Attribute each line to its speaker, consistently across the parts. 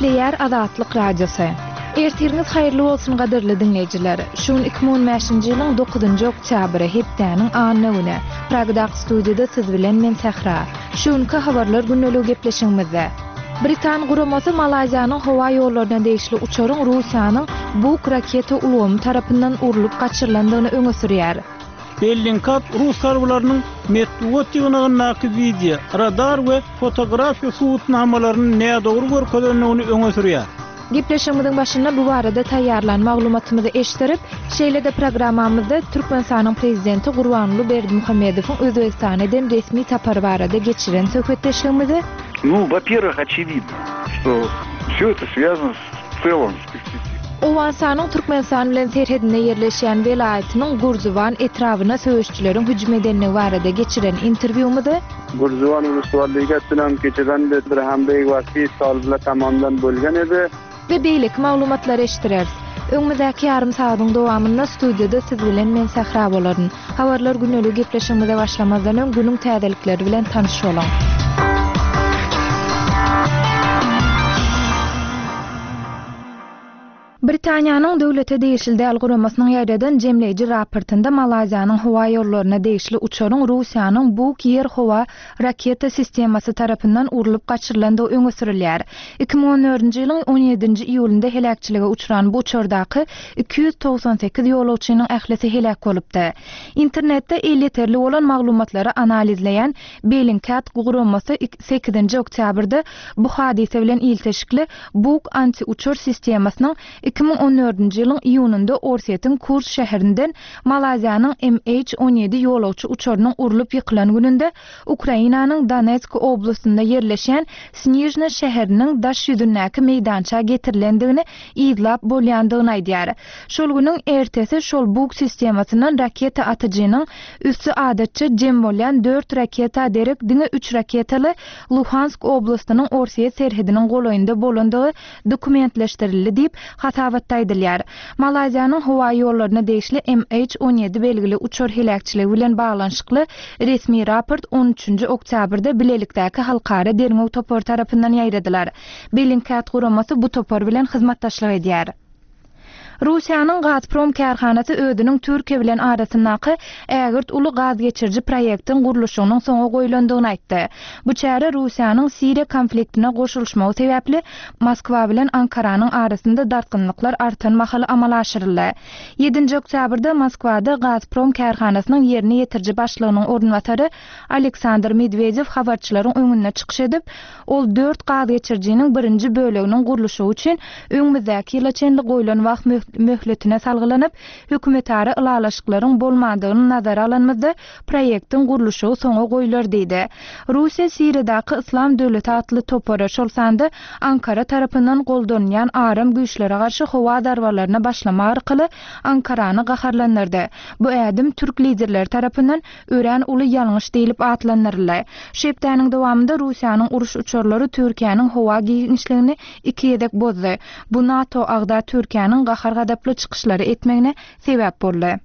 Speaker 1: Gepleýär Azatlyk Radiosy. Ertiriňiz haýyrly bolsun gadyrly diňleýjiler. Şu gün 2015-nji ýylyň 9-njy oktýabry, hepdäniň anna güni. Pragadaky studiýada siz bilen men Sähra. Şu günki habarlar gündeligi gepleşigimizde. Britan guramasy Malaýziýanyň howa ýollaryna degişli uçaryň Russiýanyň Buk raketa ulgamy tarapyndan urlup gaçyrylandygyny öňe sürýär.
Speaker 2: Bellingkat rus harbylarynyň metbugat ýygnagyndaky wideo, radar we fotografiýa subutnamalaryny nädogry görkezendigini öňe sürýär.
Speaker 1: Gepleşigimiziň başynda bu barada taýýarlan maglumatymyzy eşitdirip, şeýle-de programmamyzda Türkmenistanyň Prezidenti Gurbanguly Berdimuhamedowyň Özbegistana eden resmi sapary barada geçiren söhbetdeşligimizi,
Speaker 3: Nu, во-первых, очевидно, что все это связано с целом с перспективой.
Speaker 1: Owganystanyň Türkmenistan bilen serhedinde ýerleşýän welaýatynyň Gürziwan etrabyna söweşijileriň hüjüm edenligi barada geçiren interwýumyzy,
Speaker 4: Gürziwan uluslarliga bilan kechadan bir hamda toliblar tomonidan bo'lgan edi.
Speaker 1: We beýleki maglumatlary eşitdireris. Öňümizdäki ýarym sagadyň dowamynda studiýada siz bilen men Sähra bolaryn. Habarlar gündeligi gepleşigimize başlamazdan öň günüň täzelikleri bilen tanyş boluň. Britaniýanyň döwlete degişli däl guramasynyň ýaýradan jemleýji raportynda Malaýziýanyň howa ýollaryna degişli uçaryň Russiýanyň Buk ýer-howa raketa sistemasy tarapyndan urlup gaçyrylandygy öňe sürülýär. 2014-nji ýylyň on ýedinji iýulynda heläkçilige uçran bu uçardaky 298 ýolagçynyň ählisi heläk bolupdy. Internetde elýeterli bolan maglumatlary analizleýän Bellingcat guramasy sekizinji oktýabrda bu hadysa bilen ilteşikli Buk anti-uçar sistemasynyň 2014-nji ýylyň iýunynda Orsýetiň Kurs şäherinden Malaýziýanyň MH 17 ýolagçy uçarynyň urlup ýykylan gününde Ukrainanyň Donetsk oblastynda ýerleşýän Snižna şäheriniň daş ýüzündäki meýdança getirilendigini yzlap bolýandygyny aýdýar. Şol günüň ertesi şol Buk sistemasyndan raketa atyjynyň üsti adatça jem bolýan dört raketa derek diňe üç raketaly Luhansk oblastynyň Orsýet serhediniň golaýynda bolandygy dokumentleşdirildi diýip, hasabatda aýdylýar. Malaýziýanyň howa ýollaryna degişli MH 17 belgili uçar heläkçiligi bilen baglanyşykly resmi raport on üçünji oktýabrda bilelikdäki halkara derňew topary tarapyndan ýaýradylar. Bellingcat guramasy bu topar bilen hyzmatdaşlyk edýär. Russiýanyň Gazprom kärhanasy özüniň Türkiýe bilen arasyndaky ägirt uly gaz geçiriji proýektiň gurluşygynyň soňa goýlandygyny aýtdy. Bu çäre Russiýanyň Siriýa konfliktine goşulyşmagy sebäpli Moskwa bilen Ankaranyň arasynda dartgynlyklar artan mahaly amala aşyryldy. Ýedinji oktýabrda Moskwada Gazprom kärhanasynyň ýerine ýetiriji başlygynyň orunbasary Aleksandr Medwedew habarçylaryň öňünde çykyş edip, Ol dört gaz geçirijiniň birinji böleginiň gurluşygy üçin öňümizdäki ýyla çenli goýlan wagt möhletine salgylanyp, hökümetara ylalaşyklaryň bolmandygyny nazara alanymyzda, proýektiň gurluşygy soňa goýlar diýdi. Russiýa Siriýadaky Yslam döwleti atly topara, şol sanda Ankara tarapyndan goldanylýan aram güýçlere garşy howa zarbalaryna başlamak arkaly Ankarany gaharlandyrdy. Bu ädim türk liderleri tarapyndan örän uly ýalňyş diýlip atlandyryldy. Şu hepdäniň dowamynda Russiýanyň uruş uçarlary Türkiýäniň howa giňişligini iki gezek bozdy. Bu NATO agza Türkiýäniň gahar-gazaply çykyşlary etmegine sebäp boldy.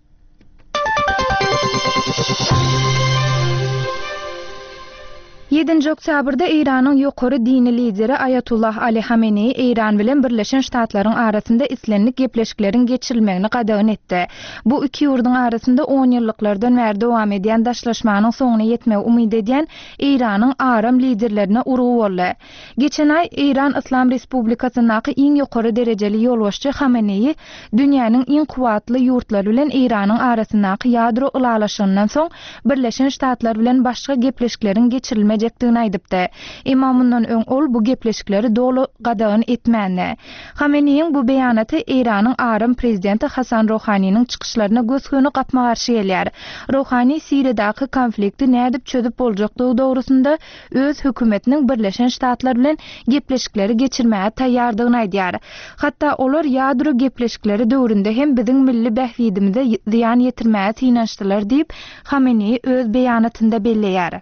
Speaker 1: Ýedinji oktýabrda Eýranyň ýokary dini lideri Aýatullah Ali Hameneýi Eýran bilen Birleşen Ştatlaryň arasynda islendik gepleşikleriň geçirilmegini gadagan etdi. Bu iki ýurduň arasynda onýyllyklardan bäri dowam edýän daşlaşmanyň soňuna ýetmegi umyt edýän Eýranyň aram liderlerine urgy boldy. Geçen aý Eýran Yslam Respublikasyndaky iň ýokary derejeli ýolbaşçy Hameneýi dünýäniň iň kuwwatly ýurtlary bilen Eýranyň arasyndaky ýadro ylalaşygyndan soň Birleşen Ştatlar bilen başga gepleşikleriň geçirilmejekdigini aýdypdy. Emma mundan öň ol bu gepleşikleri doly gadagan etmändi. Hameneýiň bu beýanaty Eýranyň aram prezidenti Hasan Rohaniniň çykyşlaryna gös-göni gapma-garşy gelýär. Rohani Siriýadaky konflikti nädip çözüp boljakdygy dogrusynda öz hökümetiniň Birleşen Ştatlar bilen gepleşikleri geçirmäge taýýardygyny aýdýar. Hatda olar ýadro gepleşikleri döwründe hem biziň milli bähbidimize zyýan ýetirmäge synanyşdylar diýip, Hameneýi öz beýanatynda belleýär.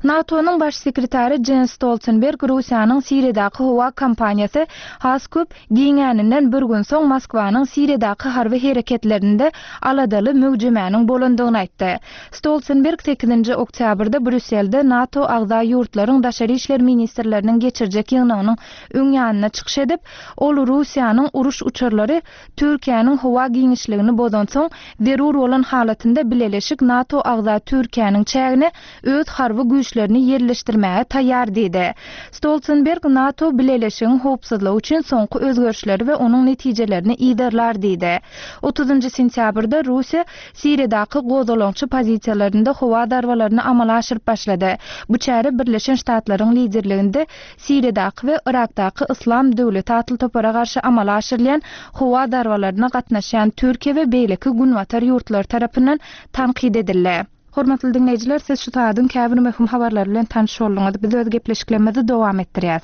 Speaker 1: NATO-nyň Baş sekretary Jens Stoltenberg Russiýanyň Siriýadaky howa kampaniýasy has köp giňäninden bir gün soň Moskwanyň Siriýadaky harby hereketlerinde aladaly möwjemäniň bolandygyny aýtdy. Stoltenberg sekizinji oktýabrda Brýusselde NATO agza ýurtlaryň daşary işler ministrleriniň geçirjek ýygnagynyň öň ýanynda çykyş edip, ol Russiýanyň uruş uçarlary Türkiýäniň howa giňişligini bozansoň, zerur bolan halatynda bileleşik NATO agza Türkiýäniň çägine öz harby güýçlerini ýerleşdirmäge taýýar diýdi. Stoltenberg NATO bileleşigiň howpsuzlygy üçin soňky özgerişleri we onuň netijelerini yzarlar diýdi. Otuzynjy sentýabrda Russiýa Siriýadaky gozgalaňçy pozisiýalarynda howa zarbalaryny amala aşyryp başlady. Bu çäre Birleşen Ştatlaryň liderliginde Siriýadaky we Yrakdaky Yslam döwleti atly topara garşy amala aşyrylýan howa zarbalaryna gatnaşýan Türkiýe we beýleki günbatar ýurtlary tarapyndan tankyt edildi. Hormatly diňleýjiler, siz şu sagadyň käbir möhüm habarlary bilen tanyş bolduňyz. Biz öz gepleşiklerimizi dowam etdirýäs.